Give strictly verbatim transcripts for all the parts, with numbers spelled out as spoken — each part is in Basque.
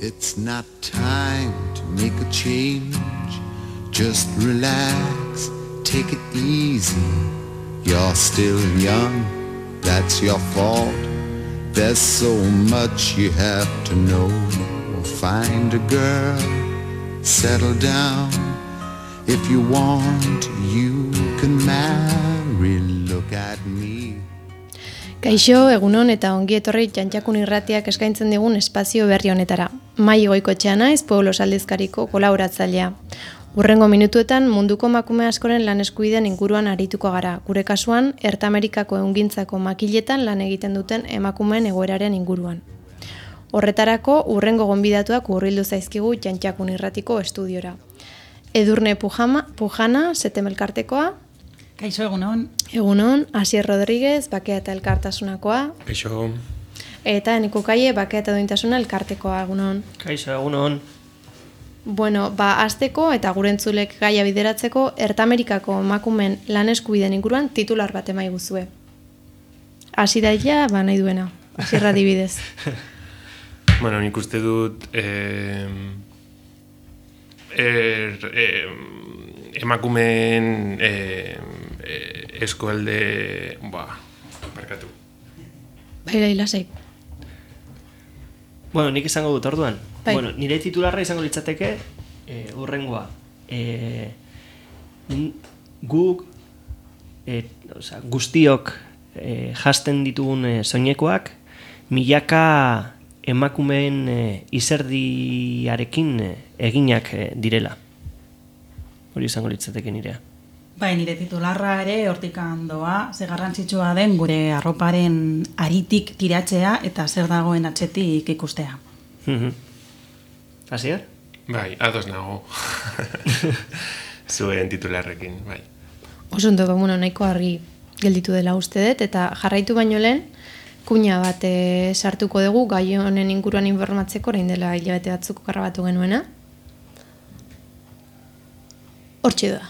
It's not time to make a change. Just relax, take it easy. You're still young, that's your fault. There's so much you have to know. Find a girl, settle down. If you want, you can marry. Look at me. Kaixo, egunon eta ongi etorri Txantxakun irratiak eskaintzen digun espazio berri honetara. Mai Goikoetxea naiz, Pueblos aldizkariko kolaboratzailea. Hurrengo minutuetan munduko emakume askoren lan eskubideen inguruan arituko gara. Gure kasuan, Ertamerikako ehungintzako makiletan lan egiten duten emakumeen egoeraren inguruan. Horretarako, hurrengo gonbidatuak hurbildu zaizkigu Txantxakun irratiko estudiora. Edurne Pujama, Pujana, Setem elkartekoa. Kaixo, egunon. Egunon, Asier Rodríguez, Bakea eta Elkartasunakoa. Kaixo. Eta Eneko Kaie, Bakea eta Duintasuna Elkartekoa, egunon. Kaixo, egunon. Bueno, ba, azteko eta gure entzulek gaia bideratzeko Ertamerikako emakumeen lan eskubideen inguruan titular bat emai guzue. Hasi daia, ba, nahi duena. Asierra dibidez. Bueno, nik uste dut eh, er, eh, emakumeen eh, eh, eskualde, ba, barkatu. Baila hilasek. Bueno, nik izango dut orduan. Bai. Bueno, nire titularra izango litzateke eh, urrengoa. Eh, guk, eh, oza, guztiok eh, jasten ditugun eh, soinekoak, milaka emakumeen eh, izerdiarekin eh, eginak eh, direla. Hori izango litzateke nirea. Bai, nire titularra ere hortikan doa, ze garrantzitsua den gure arroparen aritik tiratzea eta zer dagoen atzetik ikustea. Asier? Bai, ados nago. Zuen titularrekin, bai. Oso ondo, bueno, nahiko argi gelditu dela uste dut, eta jarraitu baino lehen, kuña bat e, sartuko dugu, gai honen inguruan informatzeko, orain dela hilabete batzuk grabatu genuena. Hortxe da.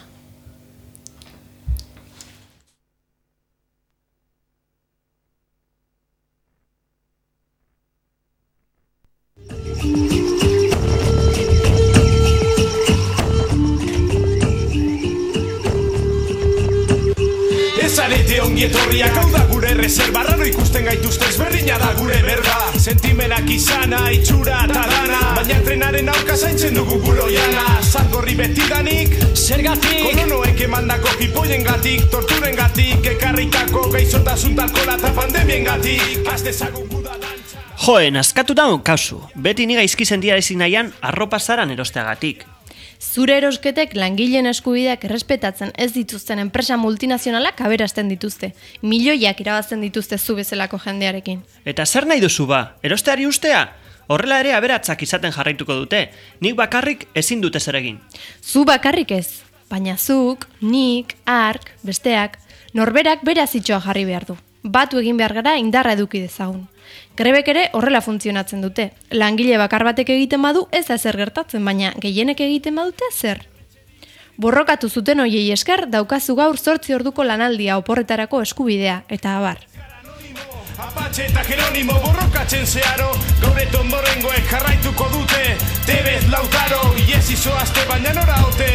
Zarete ongi etorriak hau da gure reserva. Raro ikusten gaituzte ezberdina da gure berba. Sentimenak izana, itxura eta dana, baina trenaren aurka zaintzen dugu buloiana. Zangorri betidanik, zergatik kolonoek emandako pipoien gatik, torturen gatik, ekarritako gaizotasun talkola eta pandemien gatik. Az dezagun guda dantza. Joen, askatu da kasu. Beti niga izkizen dira ezin nahian arropa zaran erosteagatik. Zure erosketek langileen eskubideak errespetatzen ez dituzten enpresa multinazionalak aberasten dituzte. Milioiak irabazten dituzte zu bezalako jendearekin. Eta zer nahi duzu ba? Erosteari ustea? Horrela ere aberatzak izaten jarraituko dute. Nik bakarrik ezin dute zer egin. Zu bakarrik ez, baina zuk, nik, ark, besteak, norberak beraz itxoa jarri behar du. Batu egin behar gara indarra eduki dezagun. Grebek ere horrela funtzionatzen dute. Langile bakar batek egiten badu ez da zer gertatzen, baina gehienek egiten badute zer. Borrokatu zuten hoiei esker daukazu gaur zortzi orduko lanaldia oporretarako eskubidea, eta abar. Apatxe eta Jeronimo borrokatzen zeharo, gaur eton borrengoek jarraituko dute. Tebez Lautaro, iez izoazte baina nora ote.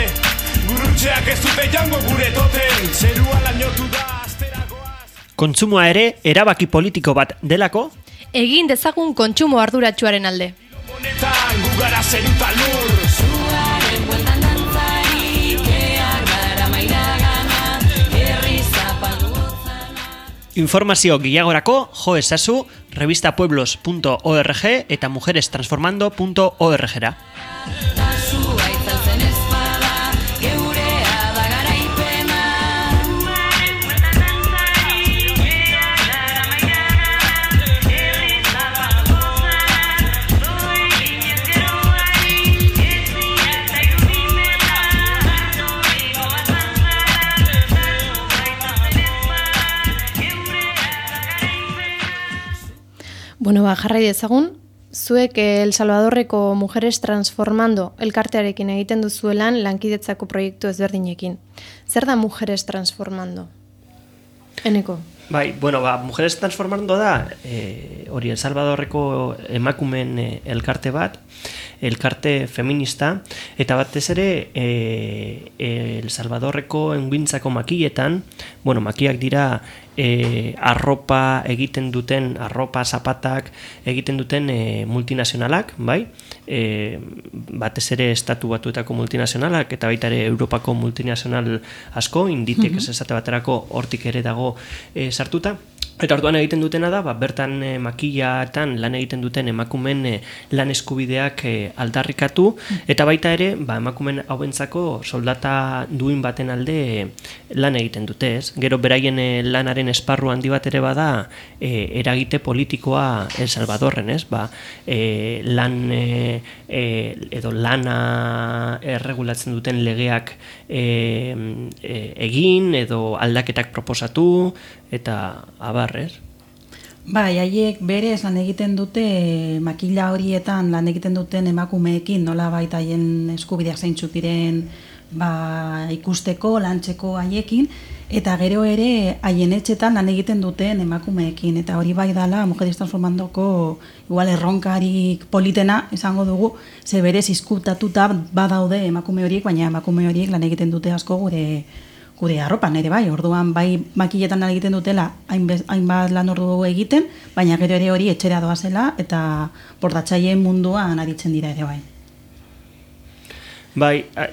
Gurutxeak ez dute jango gure toten, zerua lainotu da asteragoaz. Kontsumoa ere erabaki politiko bat delako? Egin dezagun kontsumo arduratsuaren alde. Honetan gugara zeruta lur. Zuaren bueltan dantzari, keak gara mairagana, herri zapaldu gotzana. Informazio gehiagorako jo ezazu revistapueblos punto org eta mujerestransformando punto org-ra. Tasua itzaltzen ezpada, geurea da garaipena. Bueno, ba, jarrai dezagun, zuek El Salvadorreko Mujeres Transformando elkartearekin egiten duzuelan lankidetzako proiektu ezberdinekin. Zer da Mujeres Transformando? Eneko? Bai, bueno, ba, Mujeres Transformando da, e, hori El Salvadorreko emakumeen e, elkarte bat, elkarte feminista, eta batez ere e, El Salvadorreko engintzako makilletan, bueno, makiak dira e, arropa egiten duten, arropa, zapatak egiten duten e, multinazionalak, bai? E, batez ere estatu batuetako multinazionalak eta baita ere Europako multinazional asko, Inditex mm-hmm. esate baterako hortik ere dago e, sartuta. Eta orduan egiten dutena da, ba, bertan e, makillatan lan egiten duten emakumen e, lan eskubideak e, aldarrikatu, eta baita ere, ba, emakumen hauentzako soldata duin baten alde e, lan egiten dute, ez? Gero beraien e, lanaren esparru handi bat ere bada e, eragite politikoa El Salvadorren, ez? Ba, e, lan e, e, edo lana erregulatzen duten legeak e, e, egin edo aldaketak proposatu, eta abarrez. Bai, haiek berez lan egiten dute makila horietan lan egiten duten emakumeekin, nola baita haien eskubideak zeintzuk diren ba, ikusteko, lantzeko haiekin, eta gero ere haien etxetan lan egiten duten emakumeekin, eta hori bai dala Mujeres Transformandoko igual erronkarik politena esango dugu, ze berez izkutatuta badaude emakume horiek, baina emakume horiek lan egiten dute asko gure gure arropan ere bai, orduan bai makilletan lan egiten dutela hainbat lan ordu egiten, baina gero ere hori etxera doazela eta bordatzaileen munduan aritzen dira ere bai. Bai, a,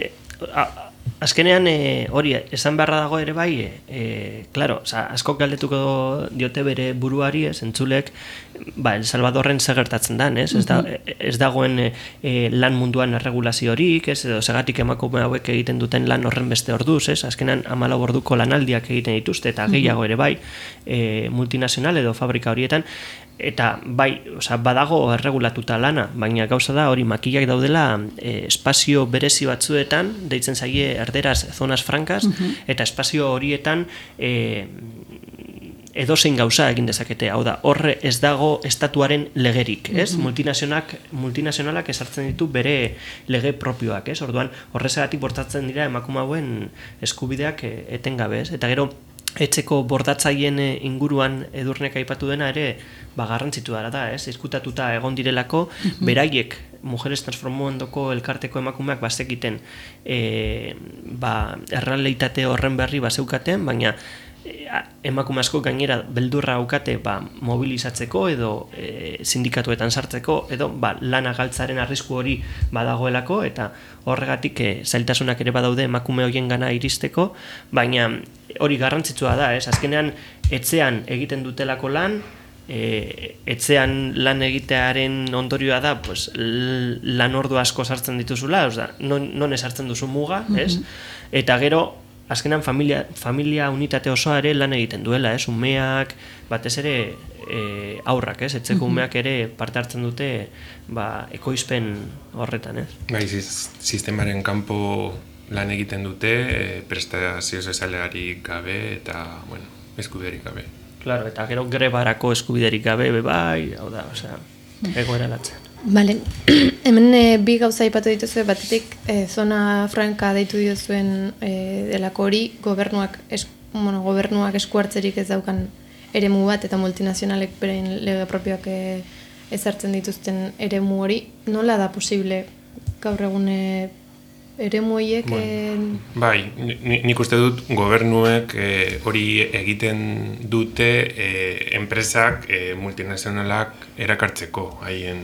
a, azkenean e, hori esan beharra dago ere bai, e, e, claro, oza, asko galdetuko diote bere buruari, ez, entzulek, ba, El Salvadorren segertatzen dan, ez? Ez, da, ez dagoen e, lan munduan erregulazio horik, ez, edo segatik emakume hauek egiten duten lan horren beste orduz, ez? Azkenan hamalau orduko lanaldiak egiten dituzte, eta gehiago ere bai, e, multinazional edo fabrika horietan, eta bai, oza, badago erregulatuta lana, baina gauza da hori makillak daudela e, espazio berezi batzuetan, deitzen zaie erderaz zonas francas, uh-huh. eta espazio horietan e, edozein gauza egin dezakete, hau da, horre ez dago estatuaren legerik, ez? Uh-huh. Multinazionalak, multinazionalak esartzen ditu bere lege propioak, ez? Orduan, horrezagatik bortatzen dira emakume hauen eskubideak etengabe, ez? Eta gero, etxeko bordatzaien inguruan Edurnek aipatu dena ere ba, garrantzitu dara da, ez? Izkutatuta egon direlako, uh-huh. beraiek Mujeres Transformandoko elkarteko emakumeak bazekiten e, ba, errealitate horren berri bazeukaten, baina emakume asko gainera beldurra aukate ba, mobilizatzeko edo e, sindikatuetan sartzeko edo ba, lana galtzaren arrisku hori badagoelako eta horregatik e, zailtasunak ere badaude emakume horien gana iristeko, baina hori garrantzitsua da, ez? Azkenean etxean egiten dutelako lan, e, etxean lan egitearen ondorioa da pues, lan ordu asko sartzen dituzula, osea, non, non esartzen duzu muga, ez? Mm-hmm. Eta gero azkenan familia, familia unitate osoa ere lan egiten duela, ez? Umeak, batez ere e, aurrak, ez? Etxeko mm-hmm. umeak ere parte hartzen dute ba, ekoizpen horretan, ez? Bai, sistemaren kanpo lan egiten dute, e, prestazio sozialarik gabe eta, bueno, eskubiderik gabe. Claro, eta gero grebarako eskubiderik gabe, bai, hau da, osea, egoera latzen. Bale, hemen e, bi gauza aipatu dituzue, batetik e, zona franka deitu diozuen e, delako hori, gobernuak, es, bueno, gobernuak eskuartzerik ez daukan eremu bat, eta multinazionalek berein lege propioak e, ezartzen dituzten eremu hori, nola da posible gaur egun e, eremu horiek? Bueno, e... Bai, nik uste dut gobernuek hori e, egiten dute e, enpresak e, multinazionalak erakartzeko, haien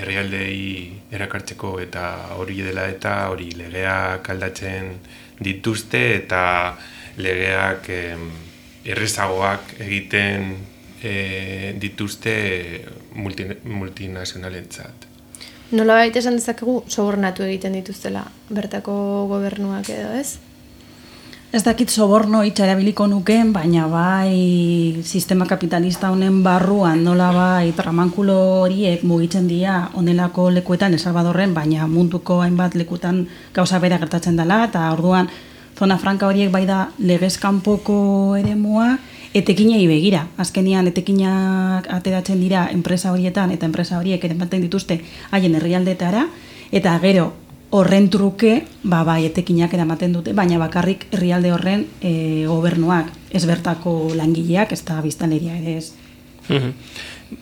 herrialdei erakartzeko eta hori dela eta hori legeak aldatzen dituzte eta legeak e, errezagoak egiten e, dituzte multi, multinazionalentzat. Nola baita esan dezakegu sobornatu egiten dituztela bertako gobernuak edo, ez? Ez dakit soborno hitza erabiliko nukeen, baina bai sistema kapitalista honen barruan nola bai tramankulo horiek mugitzen dira honelako lekuetan El Salvadorren, baina munduko hainbat lekutan gauza bera gertatzen dela, eta orduan zona franka horiek bai da legez kanpoko eremua, etekinei begira. Azkenian etekinak ateratzen dira enpresa horietan, eta enpresa horiek eramaten dituzte haien herrialdetara, eta gero horren truke, ba, bai, etekinak eramaten dute, baina bakarrik herrialde horren e, gobernuak, ez bertako langileak, ez da biztanleria ere ez. Mhm.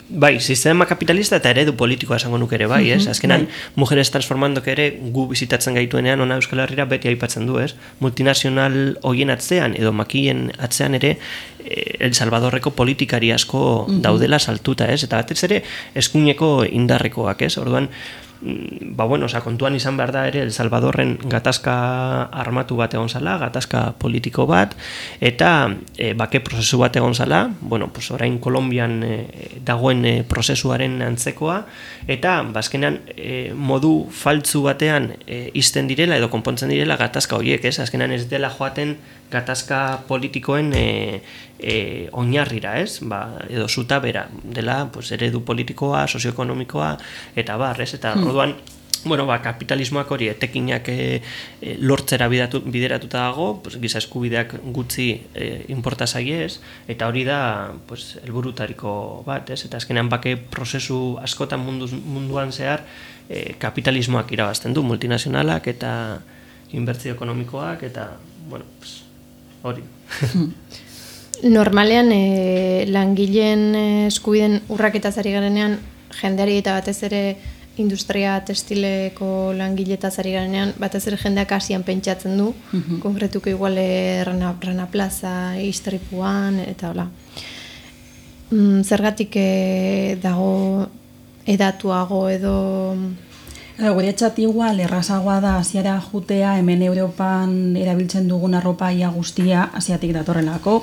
Bai, sistema kapitalista eta eredu politikoa esango nuke ere bai, ez? Azkenan, Mujeres Transformandok ere gu bizitatzen gaituenean ona Euskal Herrira beti aipatzen du, ez? Multinazional hoien atzean edo makilen atzean ere El Salvadorreko politikari asko daudela saltuta, ez? Eta batez ere eskuineko indarrekoak, ez? Orduan, ba bueno, oza, kontuan izan behar da ere El Salvadorren gatazka armatu bat egon zala, gatazka politiko bat, eta e, bake prozesu bat egon zala, bueno, pues orain Kolombian e, dagoen e, prozesuaren antzekoa, eta bazkenean e, modu faltzu batean e, izten direla edo konpontzen direla gatazka horiek, ez? Azkenean ez dela joaten gatazka politikoen e, e, oinarrira, ez? Ba, edo zutabera dela, pues, eredu politikoa, sozioekonomikoa, eta bar, ez? Eta hmm. orduan, bueno, ba, kapitalismoak hori etekinak e, e, lortzera bidatu, bideratuta dago, pues, giza eskubideak gutxi e, inporta zaiez, eta hori da, pues, helburutariko bat, ez? Eta azkenean bake prozesu askotan munduz, munduan zehar e, kapitalismoak irabazten du, multinazionalak eta inbertsio ekonomikoak, eta, bueno, pues, hori. Normalean e, langileen eskubiden urraketaz ari garenean, jendeari eta batez ere industria textileko langiletaz ari garenean, batez ere jendeak hasian pentsatzen du, uh-huh. konkretuko igual Rana, Rana Plaza, istripuan, eta hola. Mm, zergatik e, dago edatuago edo... Guretzat igual, errazagoa da Asiara jutea, hemen Europan erabiltzen dugun arropa ia guztia Asiatik datorrelako.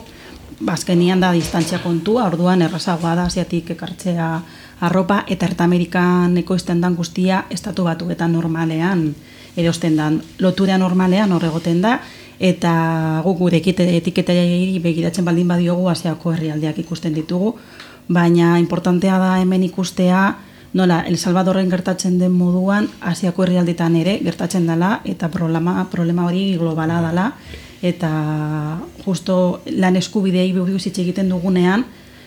Bazkenian da distantzia kontua, orduan errazagoa da Asiatik ekartzea arropa, eta Ertamerikan ekoizten dan guztia estatu batuetan normalean erosten dan. Lotura normalean horregoten da, eta guk gure etiketari begiratzen baldin badiogu Asiako herrialdeak ikusten ditugu, baina importantea da hemen ikustea nola, El Salvadorren gertatzen den moduan, Asiako herrialdetan ere gertatzen dela, eta problema, problema hori globala dela, eta justo lan eskubidei buruz hitz egiten dugunean,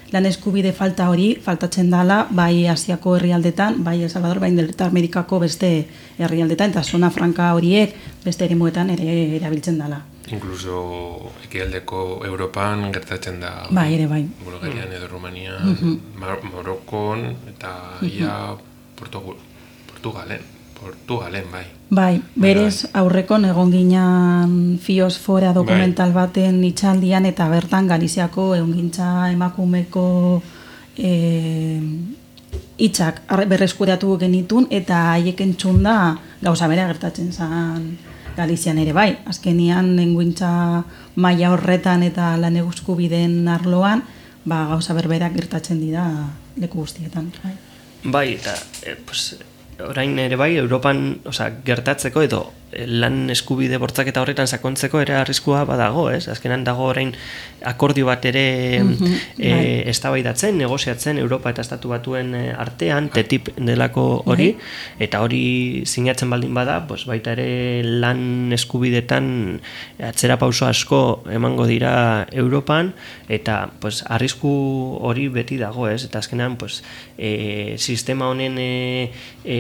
lan eskubide falta hori faltatzen dela, bai Asiako herrialdetan, bai El Salvador, bai Delta Amerikako beste herrialdetan, eta zona franka horiek beste eremuetan ere erabiltzen dela. Incluso ekialdeko Europan gertatzen da. Bai, ere bai. Bulgarian edo Rumanian, uh-huh. Mar- Marokon eta uh-huh. ia Portugal, Portugalen, Portugalen bai. Bai, berez aurrekon egon ginean Fiosfora dokumental bai. baten itxaldian, eta bertan Galiziako ehungintza emakumeko eh, hitzak berreskuratu genitun, eta haiek entzun da gauza bera gertatzen zen Galizian ere bai. Azkenian ehungintza maila horretan eta lan eskubideen arloan, ba, gauza berberak gertatzen dira leku guztietan. Bai, bai eta eh, pues, orain ere bai, Europan, osea, gertatzeko edo lan eskubide bortzaketa horretan sakontzeko ere arriskua badago, ez? Azkenan dago orain akordio bat ere mm-hmm, e, bai. eztabaidatzen, negoziatzen Europa eta Estatu Batuen artean, T T I P delako hori, bai. Eta hori sinatzen baldin bada, pues baita ere lan eskubidetan atzera pauso asko emango dira Europan, eta pues arrisku hori beti dago, ez? Eta azkenan pues e, sistema honen e, e,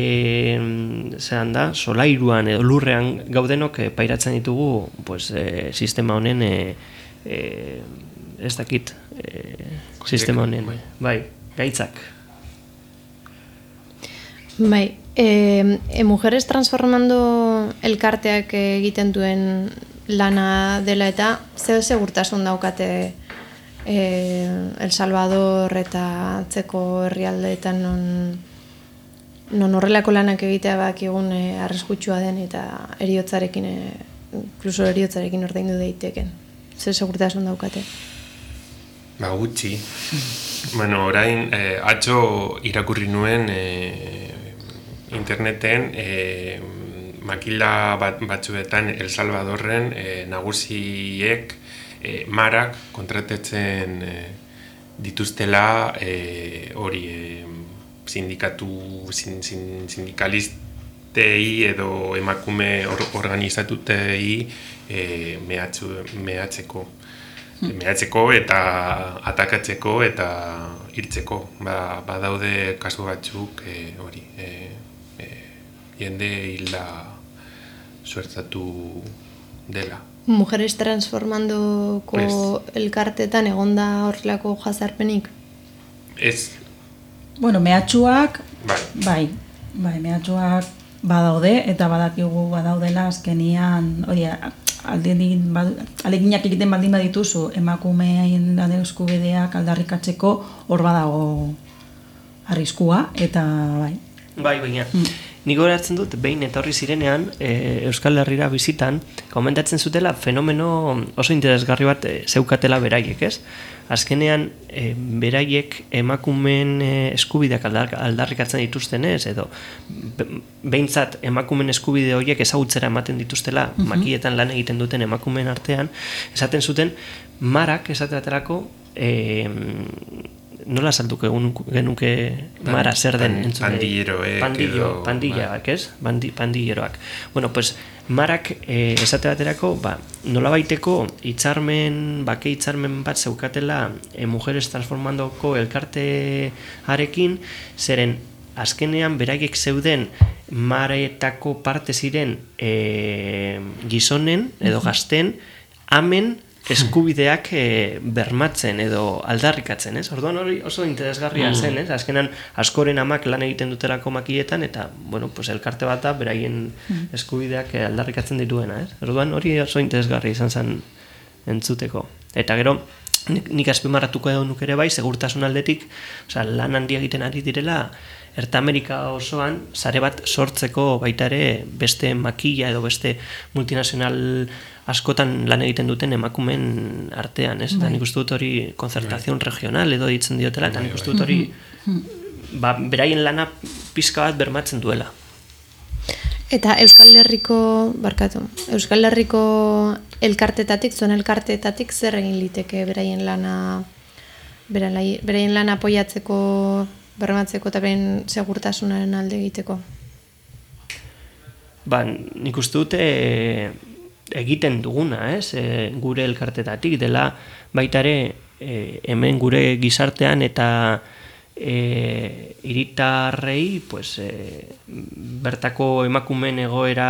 zean da, solairuan edo lurrean gaudenok eh, pairatzen ditugu pues, eh, sistema honen eh, eh, ez dakit eh, sistema honen bai. bai, gaitzak bai, e, e, Mujeres Transformando elkarteak egiten duen lana dela eta zer segurtasun daukate e, El Salvador eta atzeko herrialdeetan non non horrelako lanak egitea bakigun e, arriskutsua den eta eriotzarekin, e, inkluso eriotzarekin ordaindu daiteken. Zer segurtasun daukate? Ba, gutxi. Bueno, orain, eh, atzo irakurri nuen eh, interneten eh, makila bat, batzuetan El Salvadorren eh, nagusiek eh, marak kontratetzen eh, dituztela eh, hori eh, sindikatu sin, sin, sindikalistei edo emakume or, organizatutei e, mehatzu, mehatzeko hmm. mehatzeko eta atakatzeko eta hiltzeko. Ba, badaude kasu batzuk e, hori e, e, jende hilda suertatu dela. Mujeres Transformandoko pues, elkartetan egonda horrelako jazarpenik? Ez, Bueno, mehatxuak, bai, bai, bai, mehatxuak badaude, eta badakigu badaudela azkenian, hori, aldien, aleginak egiten baldin badituzu, emakumeaien lan eskubideak aldarrikatzeko hor badago arriskua, eta bai. Bai, baina, nik goratzen dut, behin etorri zirenean, e, Euskal Herrira bizitan, komentatzen zutela fenomeno oso interesgarri bat e, zeukatela beraiek, ez? Azkenean, e, beraiek emakumeen e, eskubideak aldar, aldarrikatzen dituztenez, edo be, behintzat emakumeen eskubide horiek ezagutzera ematen dituztela, uh-huh. makietan lan egiten duten emakumeen artean, esaten zuten, marak esaterako, e, nola saltuko egun genuke mara zer den entzule? Pandilleroek Pandillo, edo... pandilleroak, ez? Bandi, pandilleroak. Bueno, pues, marak eh, esate baterako, ba, nola baiteko hitzarmen, bake hitzarmen bat zeukatela eh, Mujeres Transformandoko elkartearekin, zeren azkenean beraiek zeuden maretako parte ziren eh, gizonen edo gazten amen eskubideak e, bermatzen edo aldarrikatzen, ez? Orduan hori oso interesgarria mm. zen, ez? Azkenan askoren amak lan egiten dutelako makietan eta, bueno, pues elkarte bat da beraien mm. eskubideak aldarrikatzen dituena, ez? Orduan hori oso interesgarria izan zen entzuteko. Eta gero, nik, nik azpimarratuko edo nuk ere bai, segurtasun aldetik, osea, lan handia egiten ari direla, Erta Amerika osoan, sare bat sortzeko baita ere beste makila edo beste multinazional askotan lan egiten duten emakumen artean, ez? Eta nik uste dut hori konzertazion regional edo ditzen diotela, eta nik uste dut hori ba, beraien lana pizka bat bermatzen duela. Eta Euskal Herriko, barkatu, Euskal Herriko elkartetatik, zuen elkartetatik zer egin liteke beraien lana, beraien lana apoiatzeko, bermatzeko eta beraien segurtasunaren alde egiteko? Ba, nik uste dute e, egiten duguna, ez? E, gure elkartetatik dela baita ere e, hemen gure gizartean eta e, hiritarrei pues, e, bertako emakumeen egoera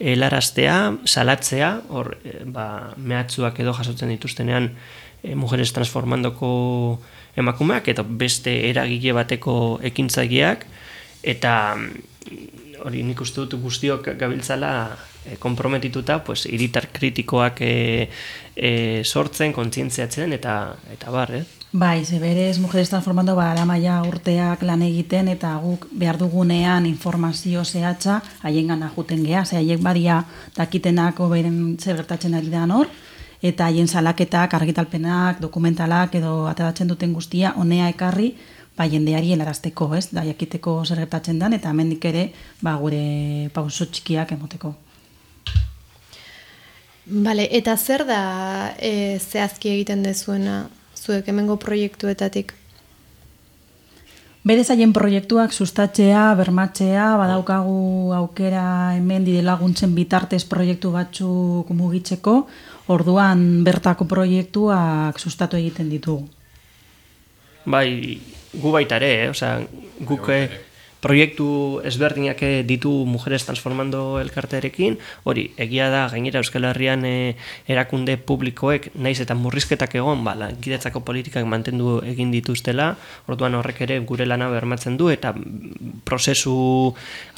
helaraztea, salatzea, hor e, ba, mehatxuak edo jasotzen dituztenean e, Mujeres Transformandoko emakumeak eta beste eragile bateko ekintzaileak, eta hori nik uste dut guztiok gabiltzala e, komprometituta pues, hiritar kritikoak e, e, sortzen, kontzientziatzen eta eta bar, eh? Bai, ze berez Mujeres Transformando ba, alamaia urteak lan egiten eta guk behar dugunean informazio zehatza haiengan ajuten geha, ze haiek badia dakitenako beren zer gertatzen ari da hor, eta haien salaketak, argitalpenak, dokumentalak edo ateratzen duten guztia honea ekarri ba, jendeari helarazteko, ez? Da jakiteko zer gertatzen dan eta hemendik ere ba, gure pauso txikiak emoteko. Bale, eta zer da e, zehazki egiten dezuena zuek hemengo proiektuetatik? Berez haien proiektuak sustatzea, bermatzea, badaukagu aukera hemen dide laguntzen bitartez proiektu batzuk mugitzeko, orduan bertako proiektuak sustatu egiten ditugu. Bai, gu baita ere, eh? Osea, guk proiektu ezberdinak ditu Mujeres Transformando elkartearekin, hori, egia da, gainera Euskal Herrian e, erakunde publikoek, naiz eta murrizketak egon, ba, lankidetzako politikak mantendu egin dituztela, orduan horrek ere gure lana bermatzen du, eta prozesu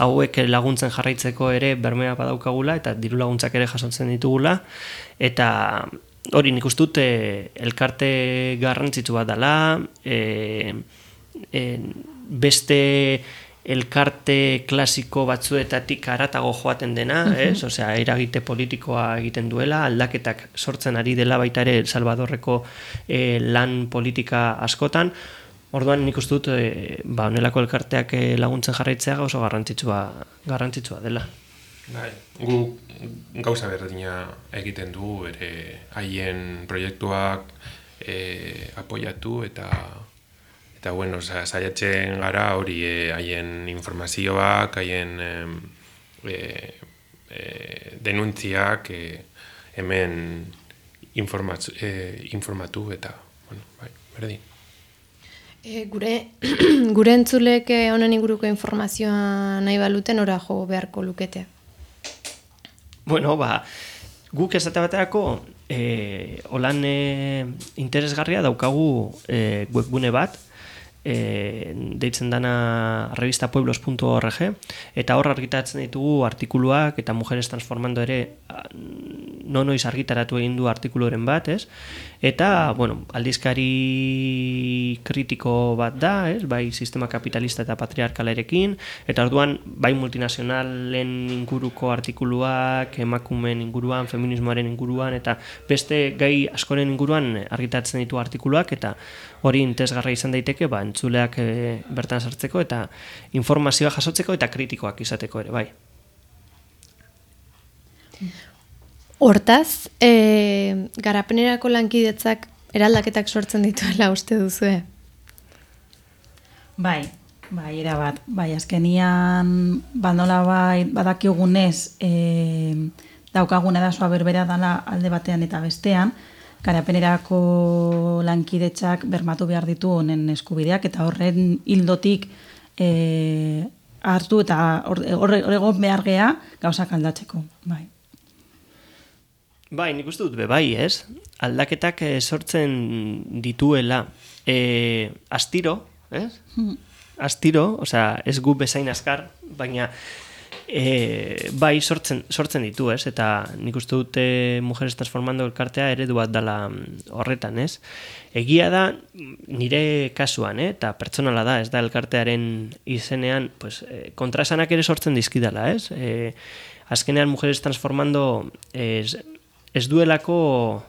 hauek laguntzen jarraitzeko ere bermea badaukagula, eta diru laguntzak ere jasotzen ditugula, eta hori nik uste dut e, elkarte garrantzitsu bat dela, e, e, beste elkarte klasiko batzuetatik haratago joaten dena, ez? Osea, eragite politikoa egiten duela, aldaketak sortzen ari dela baita ere El Salvadorreko eh, lan politika askotan. Orduan nik uste dut eh, ba, honelako elkarteak eh, laguntzen jarraitzea oso garrantzitsua, garrantzitsua dela. Bai, gu gauza berdina egiten du ere haien proiektuak eh, apoiatu eta Eta, bueno, saiatzen gara hori haien e, informazioak, haien e, e, denuntziak e, hemen informatu, e, informatu eta, bueno, bai, berdin. E, gure, gure entzulek honen inguruko informazioa nahi baluten ora jo beharko lukete? Bueno, ba, guk esate baterako e, holan e, interesgarria daukagu e, webgune bat, e, deitzen dana revista pueblos puntu org, eta hor argitaratzen ditugu artikuluak, eta Mujeres Transformando ere no noiz argitaratu egin du artikuluren bat, ez? Eta, bueno, aldizkari kritiko bat da, ez? Bai sistema kapitalista eta patriarkalarekin, eta orduan bai multinazionalen inguruko artikuluak, emakumeen inguruan, feminismoaren inguruan, eta beste gai askoren inguruan argitaratzen ditu artikuluak, eta hori interesgarra izan daiteke, ba, entzuleak e, bertan sartzeko, eta informazioa jasotzeko, eta kritikoak izateko ere, bai. Hortaz, e, garapenerako lankidetzak eraldaketak sortzen dituela uste duzue? Bai, bai, erabat. Bai, azkenian, bandola bai, badakigunez, e, daukaguna da soa berbera dala alde batean eta bestean, garapenerako lankidetzak bermatu behar ditu honen eskubideak, eta horren hildotik e, hartu eta horrego behar gea gauzak aldatzeko, bai. Bai, nik uste dut be bai, ez? Aldaketak eh, sortzen dituela eh, astiro, ez? Hmm. Astiro, osea, ez gu bezain askar, baina eh, bai sortzen, sortzen ditu, ez? Eta nik uste dut eh, Mujeres Transformando elkartea eredu bat dala horretan, ez? Egia da, nire kasuan, eh? Eta pertsonala da, ez da elkartearen izenean, pues, eh, kontraesanak ere sortzen dizkidala, ez? Eh, azkenean Mujeres Transformando ez, ez duelako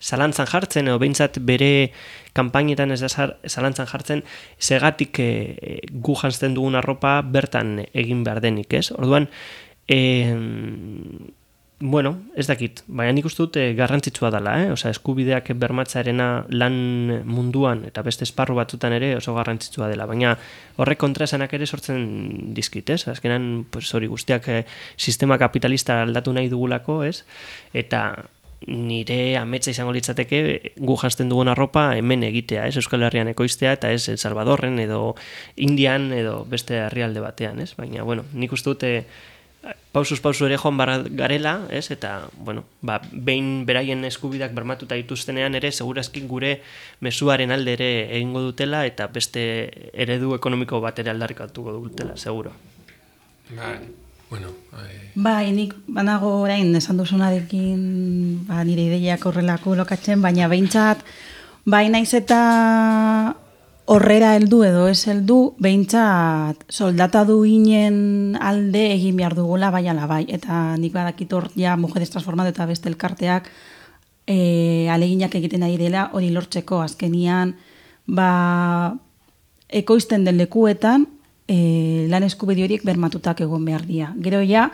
zalantzan jartzen, edo behintzat bere kanpainetan ez da zalantzan jartzen, segatik e, gu jantzten dugun arropa bertan egin behar denik, ez? Orduan, e, bueno, ez dakit, baina nik uste dut e, garrantzitsua dela, eh? Osea, eskubideak bermatzaarena lan munduan eta beste esparru batzutan ere oso garrantzitsua dela, baina horrek kontraesanak ere sortzen dizkit, ez? Azkenan, pues, hori guztiak e, sistema kapitalista aldatu nahi dugulako, ez? Eta nire ametsa izango litzateke gu janzten dugun arropa hemen egitea, ez? Euskal Herrian ekoiztea, eta ez El Salvadorren edo Indian edo beste herrialde batean, ez? Baina, bueno, nik uste dute pausuz pausu ere joan barra garela, ez? Eta, bueno, ba, behin beraien eskubidak bermatuta dituztenean ere, segurazki gure mezuaren alde ere egingo dutela, eta beste eredu ekonomiko bat ere aldarrikatuko dutela, seguro. Ba, bueno, eh... Bai, nik banago orain esan duzunarekin ba, nire ideiak horrelako lokatzen, baina behintzat, bai naiz eta horrera heldu edo ez heldu, behintzat soldata duinen alde egin behar dugula bai ala bai, eta nik badakit hor ja Mujeres Transformando eta beste elkarteak e, aleginak egiten ari dela hori lortzeko, azkenian ba, ekoizten den lekuetan e, lan eskubide horiek bermatutak egon behar dira. Gero ja,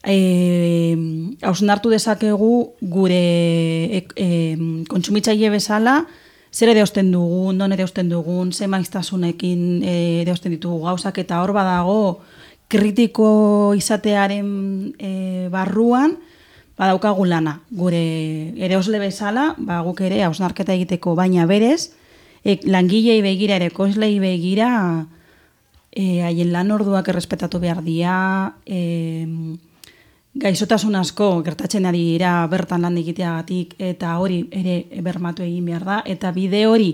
e, hausnartu dezakegu gure e, e, kontsumitzaile bezala, zer ere osten dugun, non ere osten dugun, ze maiztasunekin ere osten ditugu gauzak, eta hor badago kritiko izatearen e, barruan, badaukagu lana. Gure ere osle bezala, ba, guk ere hausnarketa egiteko, baina berez, e, langilei begira ere koizlei begira, e, haien lan orduak errespetatu behar dira, e, gaixotasun asko gertatzen ari dira bertan lan egiteagatik, eta hori ere bermatu egin behar da, eta bide hori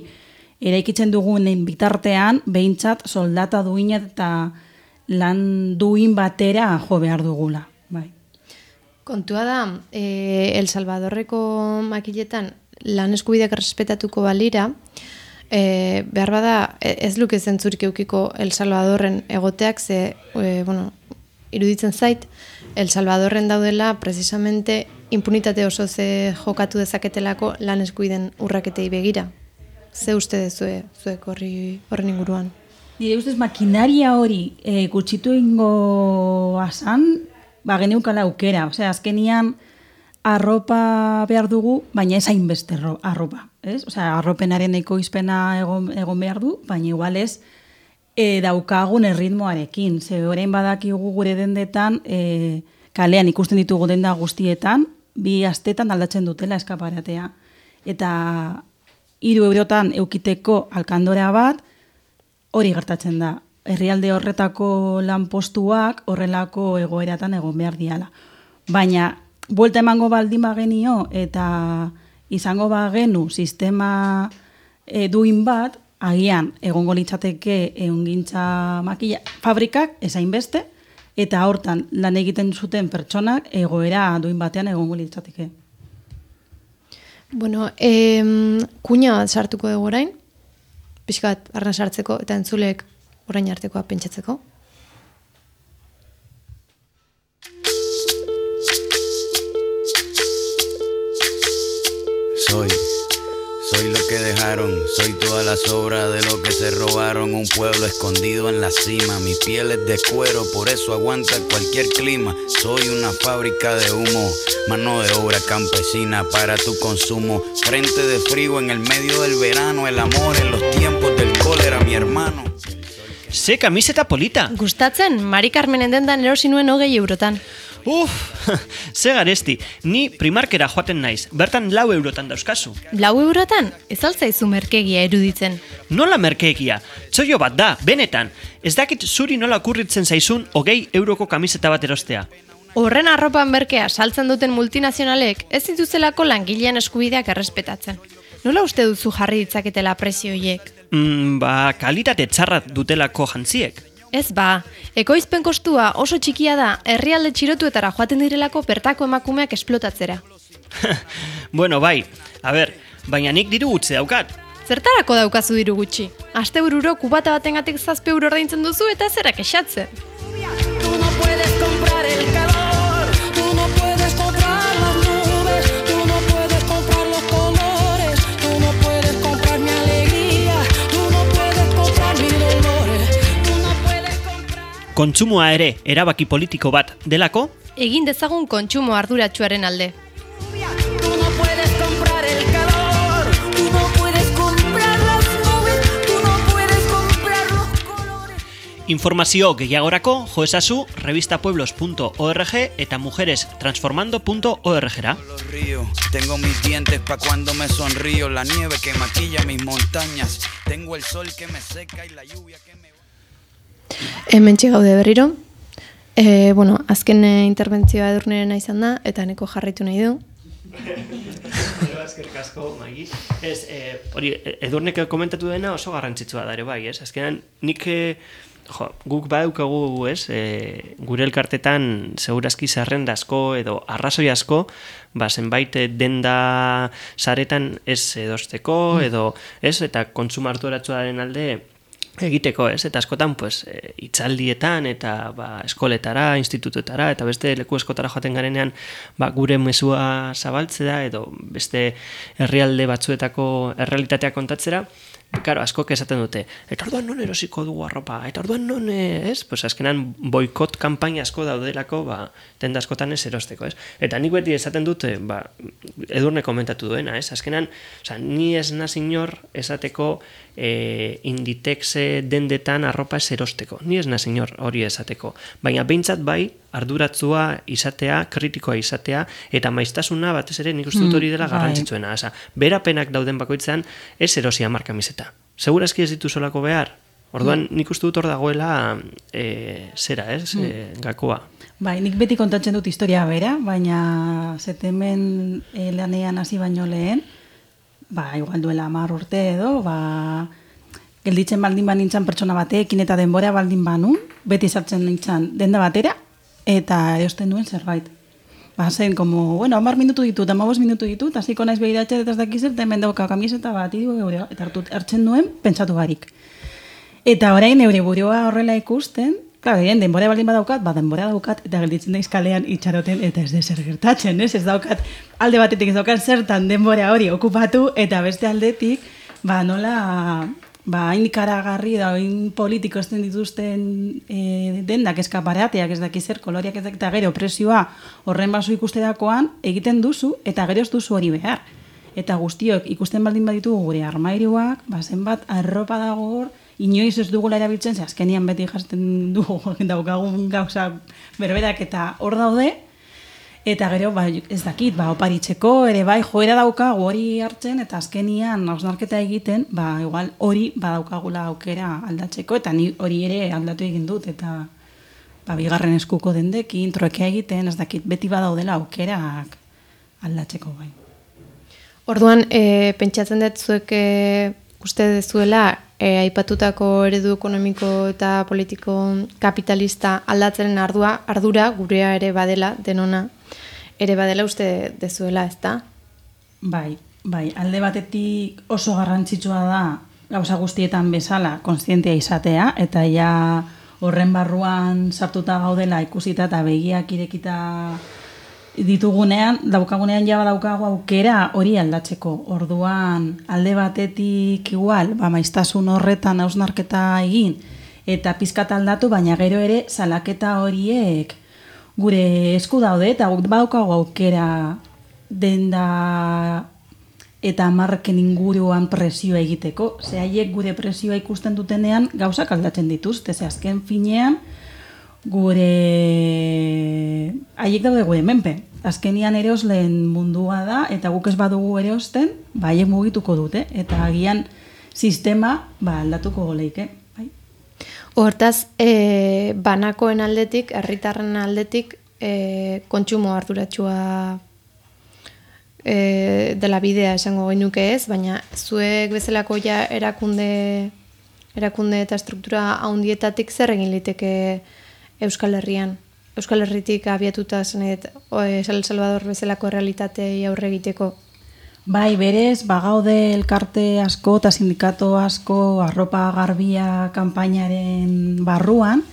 eraikitzen dugunen bitartean, behintzat soldata duina eta lan duin batera jo behar dugula. Bai. Kontua da, e, El Salvadorreko makiletan lan eskubideak errespetatuko balira, e, behar bada ez luke zentzurik eukiko El Salvadorren egoteak, ze, e, bueno, iruditzen zait, El Salvadorren daudela precisamente impunitate oso ze jokatu dezaketelako lan eskubideen urraketei begira. Ze uste dezue zuek horri horren inguruan? Nire ustez makinaria hori e, gutxitu ingo asan, ba geneukala aukera. Osea, azkenian arropa behar dugu, baina ez hainbeste arropa. Ez? Osea, arropenaren ekoizpena egon, egon behar du, baina igual ez E, daukagun erritmoarekin. Ze orain badakigu gure dendetan, e, kalean ikusten ditugu denda guztietan, bi astetan aldatzen dutela eskaparatea. Eta hiru eurotan eukiteko alkandora bat, hori gertatzen da. Herrialde horretako lanpostuak horrelako egoeratan egon behar diala. Baina, buelta emango baldin bagenio eta izango bagenu sistema e, duin bat, agian egongo litzateke ehungintza makila fabrikak ezain beste, eta hortan lan egiten zuten pertsonak egoera duin batean egongo litzateke. Bueno, em, kuña bat sartuko dugu orain, pixkat arna sartzeko eta entzulek orain artekoa pentsatzeko. Soy, soy lo que dejaron, soy toda la sobra de lo que se robaron. Un pueblo escondido en la cima, mi piel es de cuero, por eso aguanta cualquier clima. Soy una fábrica de humo, mano de obra campesina para tu consumo. Frente de frío en el medio del verano, el amor en los tiempos del cólera, mi hermano. Ze kamiseta polita! Gustatzen, Mari Carmenen dendan erosi nuen hogei eurotan. Uf, ze garesti, ni primarkera joaten naiz, bertan lau eurotan dauzkazu. Lau eurotan? Ez altzaizu merkegia eruditzen. Nola merkeegia? Txoio bat da, benetan. Ez dakit zuri nola okurritzen zaizun hogei euroko kamiseta bat erostea. Horren arropan merkea saltzen duten multinazionalek ez dituzelako langilean eskubideak errespetatzen. Nola uste duzu jarri ditzaketela prezio hiek? Mm, ba, kalitate txarra dutelako jantziek. Ez ba, ekoizpen kostua oso txikia da herrialde txirotuetara joaten direlako bertako emakumeak esplotatzera. Bueno, bai, a ber, baina nik diru gutxe daukat. Zertarako daukazu diru gutxi? Astebururo kubata batengatik zazpi euro ordaintzen duzu eta zera kexatzen. Tú no puedes comprar el calor, tú no puedes comprar las nubes, tú no puedes comprar los colores, tú no puedes comprar mi alegría, tú no puedes comprar mi dolores, tú no puedes comprar... Kontsumoa ere erabaki politiko bat delako, Egin dezagun kontsumo arduratsuaren alde. Tú no puedes comprar el calor, tú no puedes comprar las nubes, tú no puedes comprar los colores. informazio gehiagorako jo ezazu revistapueblos punto org eta mujerestransformando punto org-ra. Los ríos, tengo mis dientes pa' cuando me sonrío, la nieve que maquilla mis montañas, tengo el sol que me seca y la lluvia que me... Hementxe gaude berriro. E, bueno, azken e, interbentzioa Edurneren izan da, eta neko jarraitu nahi du. Eskerrik asko, Maigi. Ez, eh, hori, Edurnek komentatu dena oso garrantzitsua da ere bai, ez? Azkenan, nik, eh, jo, guk badaukagu, ez, eh, gure elkartetan segurazki zerrenda asko edo arrazoi asko, ba, zenbait denda saretan ez edosteko, edo, ez, eta kontsumo arduratsuaren alde egiteko, ez? Eta askotan, pues, e, itzaldietan eta ba, eskoletara, institutuetara eta beste leku eskotara joaten garenean ba, gure mezua zabaltzea edo beste herrialde batzuetako errealitatea kontatzera, claro, askok esaten dute, eta orduan non erosiko dugu arropa, eta orduan non, ez? Pues azkenan boikot kanpaina asko daudelako, ba, tenda askotan ez erosteko, ez? Eta nik beti esaten dute, ba, Edurne komentatu duena, ez? Azkenan, oza, ni ez naz inor esateko e, Inditex dendetan arropa ez erosteko. Ni ez naz inor hori esateko. Baina behintzat bai, arduratzua izatea, kritikoa izatea, eta maiztasuna batez ere nik uste dut hori dela garrantzitsuena. Oza, berapenak dauden bakoitzean ez erosia markamiseta. Segurazki ez ditu solako behar. Orduan nik uste dut hor dagoela e, zera, ez, e, gakoa. Bai, nik beti kontatzen dut historia bera, baina zetemen e, lanean hasi baino lehen, ba, igual duela hamar urte edo, ba, gelditzen baldin banintzan pertsona batekin eta denbora baldin banun, beti sartzen nintzan denda batera, eta erosten duen zerbait. Ba, zen, como, bueno, hamar minutu ditut, hamabos minutu ditut, hasiko naiz behiratzen eta ez dakizer, eta hemen dauka kamiseta bat, idu geure, eta hartut, hartzen duen, pentsatu barik. Eta orain eure burua horrela ikusten, claro, egin, denbora baldin badaukat, ba, denbora daukat, eta gelditzen daiz kalean itxaroten, eta ez dezer gertatzen, ez? Ez daukat, alde batetik ez daukat zertan denbora hori okupatu, eta beste aldetik, ba, nola, ba, hain karagarri da, hain politiko esten dituzten e, dendak eskaparateak, ez daki zer, koloriak ez daki, eta gero presioa horren baso ikusterakoan egiten duzu, eta gero ez duzu hori behar. Eta guztiok ikusten baldin baditu gure armairuak, ba, zenbat arropa dago hor, inoiz ez dugula erabiltzen, ze azkenian beti jasten dugu daukagun gauza berberak eta hor daude, eta gero, ba, ez dakit, ba, oparitzeko, ere bai, joera daukagu hori hartzen, eta azkenian hausnarketa egiten, ba, igual hori badaukagula aukera aldatzeko, eta ni hori ere aldatu egin dut, eta ba, bigarren eskuko dendekin, troekea egiten, ez dakit, beti badaudela aukerak aldatzeko bai. Orduan, e, pentsatzen dut zuek e, uste dezuela e, aipatutako eredu ekonomiko eta politiko kapitalista aldatzeren ardua, ardura gurea ere badela, denona ere badela uste dezuela, ezta? Bai, bai, alde batetik oso garrantzitsua da gauza guztietan bezala kontzientea izatea, eta ja horren barruan sartuta gaudela ikusita eta begiak irekita ditugunean, daukagunean ja badaukagu aukera hori aldatzeko. Orduan, alde batetik igual, ba, maiztasun horretan hausnarketa egin, eta pizkat aldatu, baina gero ere salaketa horiek gure esku daude, eta badaukagu aukera denda eta marken inguruan presioa egiteko. Ze haiek gure presioa ikusten dutenean gauzak aldatzen dituzte, ze azken finean gure haiek daude gure menpe. Azkenian erosleen mundua da, eta guk ez badugu erosten, ba haiek mugituko dute, eta agian sistema ba aldatuko goleike. Bai. Hortaz, e, banakoen aldetik, herritarren aldetik, e, kontsumo arduratsua e, dela bidea esango genuke ez, baina zuek bezalako ja erakunde erakunde eta struktura handietatik zer egin liteke Euskal Herrian? Euskal Herritik abiatuta zenet El Salvador bezalako realitatei aurre egiteko? Bai, berez, bagaude elkarte asko eta sindikato asko arropa garbia kanpainaren barruan,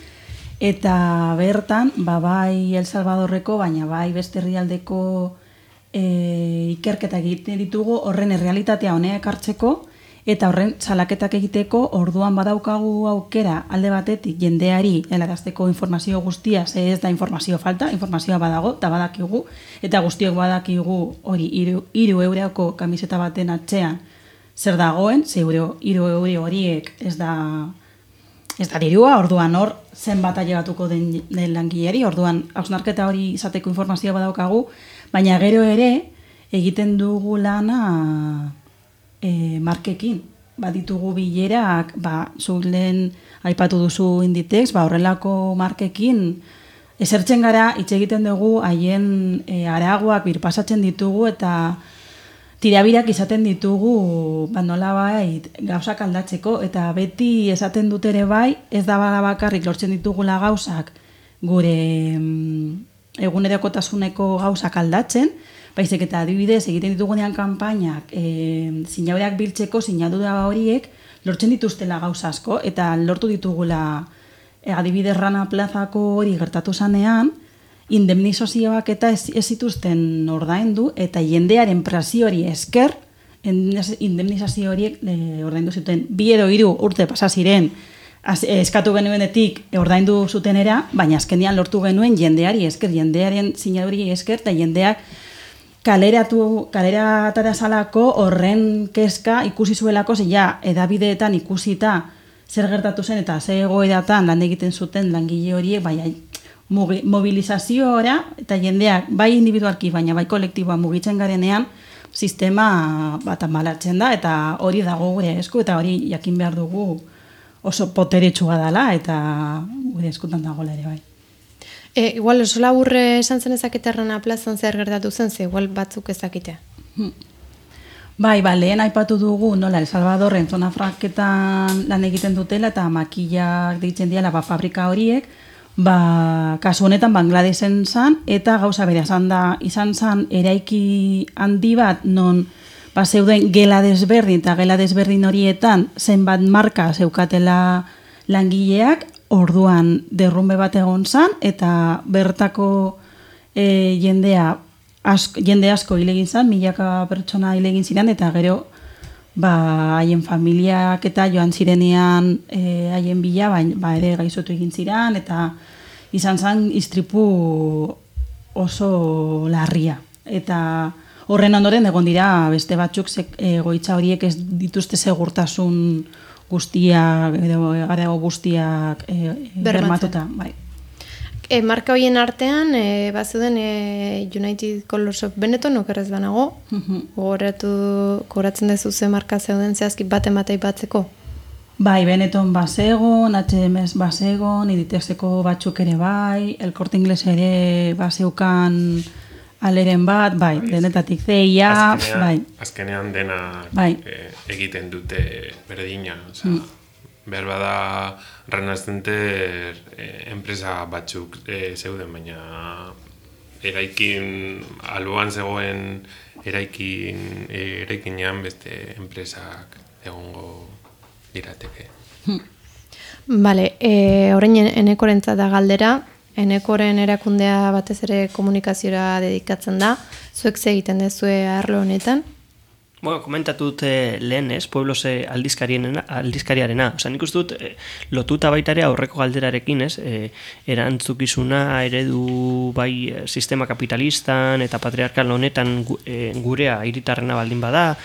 eta bertan, ba, bai El Salvadorreko, baina bai beste herrialdeko e, ikerketa egiten ditugu horren errealitatea honea ekartzeko, eta horren salaketak egiteko orduan badaukagu aukera alde batetik jendeari helarazteko informazio guztia, ze ez da informazio falta, informazioa badago, eta badakigu, eta guztiok badakigu hori hiru euroko kamiseta baten atzean zer dagoen, ze hiru euro horiek ez da ez da dirua, orduan hor zenbat ailegatuko den, den langileri, orduan hausnarketa hori izateko informazioa badaukagu, baina gero ere egiten dugu lana E, markekin, baditugu bilerak, ba, zulen aipatu duzu Inditex, ba, horrelako markekin esertzen gara, hitz egiten dugu haien e, aragoak birpasatzen ditugu eta tirabirak izaten ditugu ba, nolabait gauzak aldatzeko, eta beti esaten dut ere bai, ez da bada bakarrik lortzen ditugula gauzak gure mm, egunerokotasuneko gauzak aldatzen, baizik eta adibidez egiten ditugunean kanpainak e, sinaduraak biltzeko sinadura horiek lortzen dituztela gauza asko, eta lortu ditugula e, adibidez Rana Plazako hori gertatu zanean, indemnizazioak eta ez, ez zituzten ordaindu, eta jendearen presio hori esker indemnizazio horiek e, ordaindu zuten bi edo hiru urte pasa ziren az, eskatu genuenetik ordaindu zutenera, baina azkenean lortu genuen jendeari esker, jendearen sinaduri esker, eta jendeak kaleratu, kaleratara salako horren kezka ikusi zuelako, ze ja, edabideetan ikusita zer gertatu zen eta ze egoeratan lan egiten zuten langile horiek, bai, mobilizazioa eta jendeak bai individualki, baina bai kolektiboa mugitzen garenean, sistema bat ambalatzen da, eta hori dago gure esku, eta hori jakin behar dugu oso poteretsua dela, eta gure eskutan dagoela ere bai. E, igual oso laburre esan zen ezakite Rana Plazan zer gertatu zen, ze igual batzuk ezakite. Hmm. Bai, ba, lehen aipatu dugu, nola, El Salvadorren zona franketan lan egiten dutela, eta makillak deitzen diala, ba, fabrika horiek, ba, kasu honetan Bangladesen zan, eta gauza bere izan da, izan zan eraiki handi bat, non, ba, zeuden gela desberdin, eta gela desberdin horietan, zenbat marka zeukatela langileak, orduan derrumbe bat egon zan, eta bertako e, jendea asko, jende asko hil egin zan, milaka pertsona hil egin ziren, eta gero ba, haien familiak eta joan zirenean e, haien bila, ba, ba ere gaizotu egin ziren, eta izan zan istripu oso larria. Eta horren ondoren egon dira beste batzuk egoitza horiek ez dituzte segurtasun guztiak, edo garago guztiak e, bermatuta. Bai. E, marka horien artean, e, bazuden e, United Colors of Benetton, okerrez banago, gogoratu, gogoratzen dezu ze marka zeuden zehazki baten batei batzeko? Bai, Benetton bazegon, H and M bazegon, Inditexeko batzuk ere bai, El Corte Inglés ere bazeukan aleren bat, bai, denetatik C I A, bai. Azkenean dena bai. e, egiten dute berdina, oza, mm. behar bada Renascenter eh, enpresa batzuk eh, zeuden, baina eraikin, alboan zegoen eraikin, eh, eraikinean beste enpresak egongo dirateke. Bale, e, orain enekorentzat da galdera, enekoren erakundea batez ere komunikaziora dedikatzen da, zuek ze egiten dezue arlo honetan? Bueno, komentatu dute lehen, ez, Pueblos aldizkariarena. Osa, nik uste dut, eh, lotuta baita ere aurreko galderarekin, ez, eh, erantzukizuna eredu bai eh, sistema kapitalistan eta patriarkal honetan gu, eh, gurea hiritarrena baldin bada.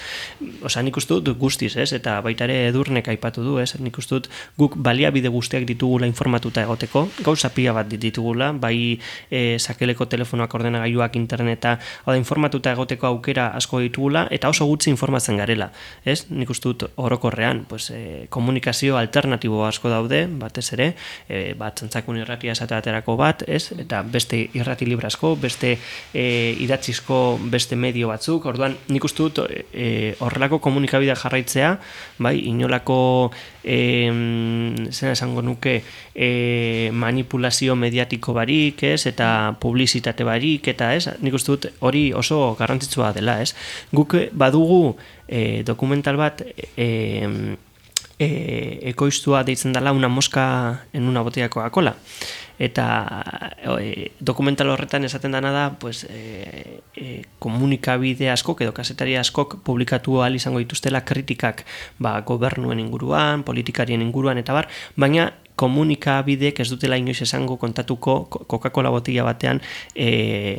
Osa, nik uste dut guztiz, ez, eta baita ere Edurnek aipatu du, ez, nik uste dut guk baliabide guztiak ditugula informatuta egoteko, gauza pila bat ditugula, bai eh, sakeleko telefonoak, ordenagailuak, interneta, hau da, informatuta egoteko aukera asko ditugula, eta oso gutxi informatzen garela, ez? Nik uste dut orokorrean, pues, eh, komunikazio alternatibo asko daude, batez ere, eh, bat Txantzakun irratia esateaterako bat, ez? Eta beste irrati libre asko, beste eh, idatzizko beste medio batzuk, orduan nik uste dut eh, horrelako komunikabidea jarraitzea, bai, inolako eh, zena esango nuke eh, manipulazio mediatiko barik, ez? Eta publizitate barik, eta ez? Nik uste dut hori oso garrantzitsua dela, ez? Guk badugu E, dokumental bat e, e, ekoiztua deitzen dela Una mosca en una botella de Coca-Cola, eta e, dokumental horretan esaten dana da, pues, e, e, komunikabide askok edo kazetari askok publikatu ahal izango dituztela kritikak, ba, gobernuen inguruan, politikarien inguruan eta bar, baina komunikabideek ez dutela inoiz esango kontatuko Coca-Cola botila batean e,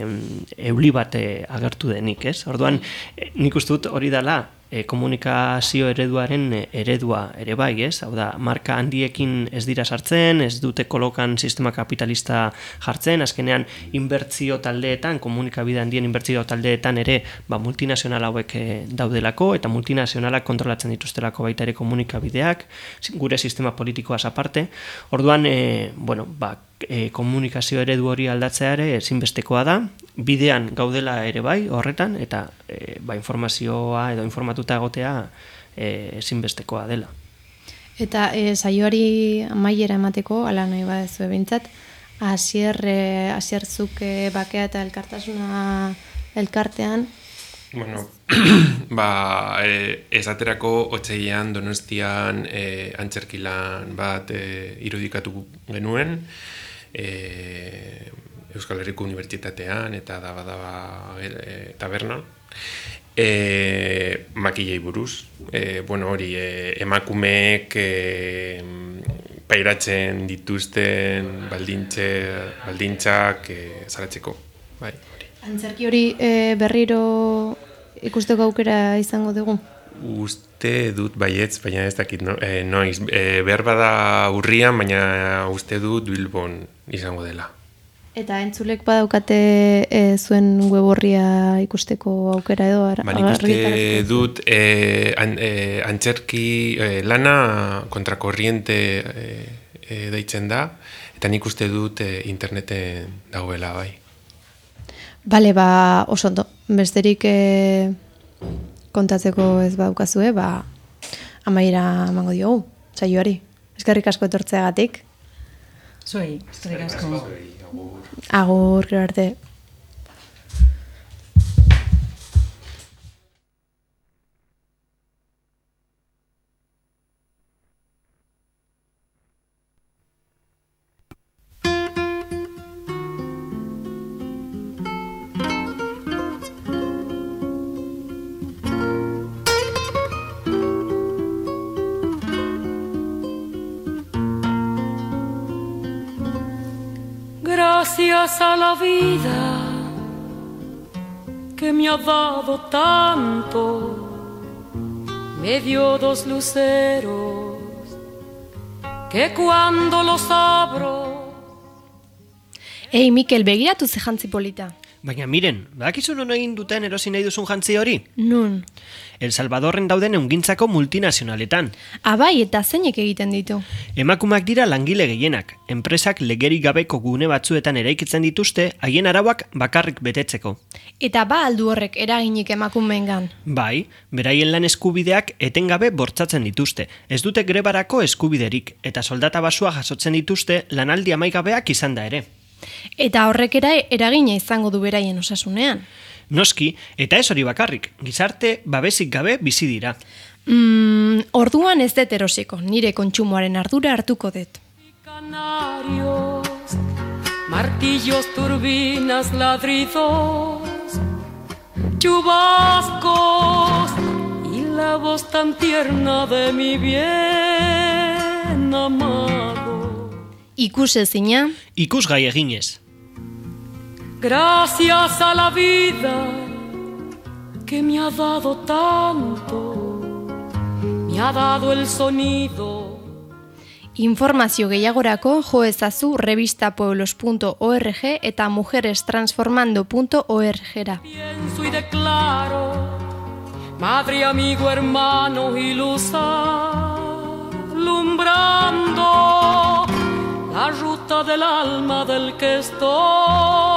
euli bat e, agertu denik, ez? Orduan, e, nik uste dut hori dela e, komunikazio ereduaren eredua ere bai, ez? Hau da, marka handiekin ez dira sartzen, ez dute kolokan sistema kapitalista jartzen, azkenean inbertzio taldeetan, komunikabide handien inbertzio taldeetan ere, ba, multinazional hauek e, daudelako, eta multinazionalak kontrolatzen dituztelako baita ere komunikabideak, gure sistema politikoaz aparte. Orduan, e, bueno, ba, e, komunikazio eredu hori aldatzea ere ezinbestekoa da, bidean gaudela ere bai horretan, eta e, ba, informazioa edo informatuta egotea e, ezinbestekoa dela. Eta e, saioari amaiera emateko, ala nahi badezu ebintzat, Asier, e, Asierzuk e, bakea eta elkartasuna elkartean, Bueno, ba, e, esaterako otsailean Donostian e, antzerkilan bat e, irudikatu genuen, e, Euskal Herriko Unibertsitatean eta daba daba e, taberna, e, makilei buruz. E, bueno, hori, e, emakumeek e, pairatzen dituzten baldintze, baldintzak e, zaratzeko, bai. Antzerki hori e, berriro ikusteko aukera izango dugu? Uste dut baietz, baina ez dakit no? e, noiz. E, behar bada urrian, baina uste dut Bilbon izango dela. Eta entzulek badaukate e, zuen web horria ikusteko aukera edo? Ar- ba, nik uste dut e, an, e, antzerki e, lana kontrakorriente e, e, deitzen da, eta nik uste dut e, interneten dagoela bai. Bale, ba, oso ondo, besterik e, kontatzeko ez baukazue, ba, amaiera emango diogu, saioari. Eskerrik asko etortzeagatik. Zuei, eskerrik asko. Agur, gero arte. Gracias a la vida que me ha dado tanto, me dio dos luceros que cuando los abro. Ei, Mikel, begiratu ze jantzi polita. Baina miren, badakizu non egin duten erosi nahi duzun jantzi hori? Nun. El Salvadorren dauden eungintzako multinazionaletan. Abai, eta zeinek egiten ditu? Emakumeak dira langile gehienak. Enpresak legerik gabeko gune batzuetan eraikitzen dituzte, haien arauak bakarrik betetzeko. Eta ba aldu horrek eraginik emakumeengan. Bai, beraien lan eskubideak etengabe bortzatzen dituzte. Ez dute grebarako eskubiderik, eta soldata basua jasotzen dituzte lanaldi amaigabeak izan da ere. Eta horrek era eragina izango du beraien osasunean. Noski, eta ez hori bakarrik, gizarte babesik gabe bizi dira. Mm, orduan ez dut erosiko, nire kontsumoaren ardura hartuko dut. Canarios, martillos, turbinas, ladridos, chubascos y la voz tan tierna de mi bien amado. Ikusezina. Ikusgai eginez. Gracias a la vida que me ha dado tanto, me ha dado el sonido. Informazio gehiagorako jo ezazu revistapueblos punto org eta mujerestransformando punto org-ra. Pienso y declaro, madre, amigo, hermano y luz alumbrando la ruta del alma del que estoy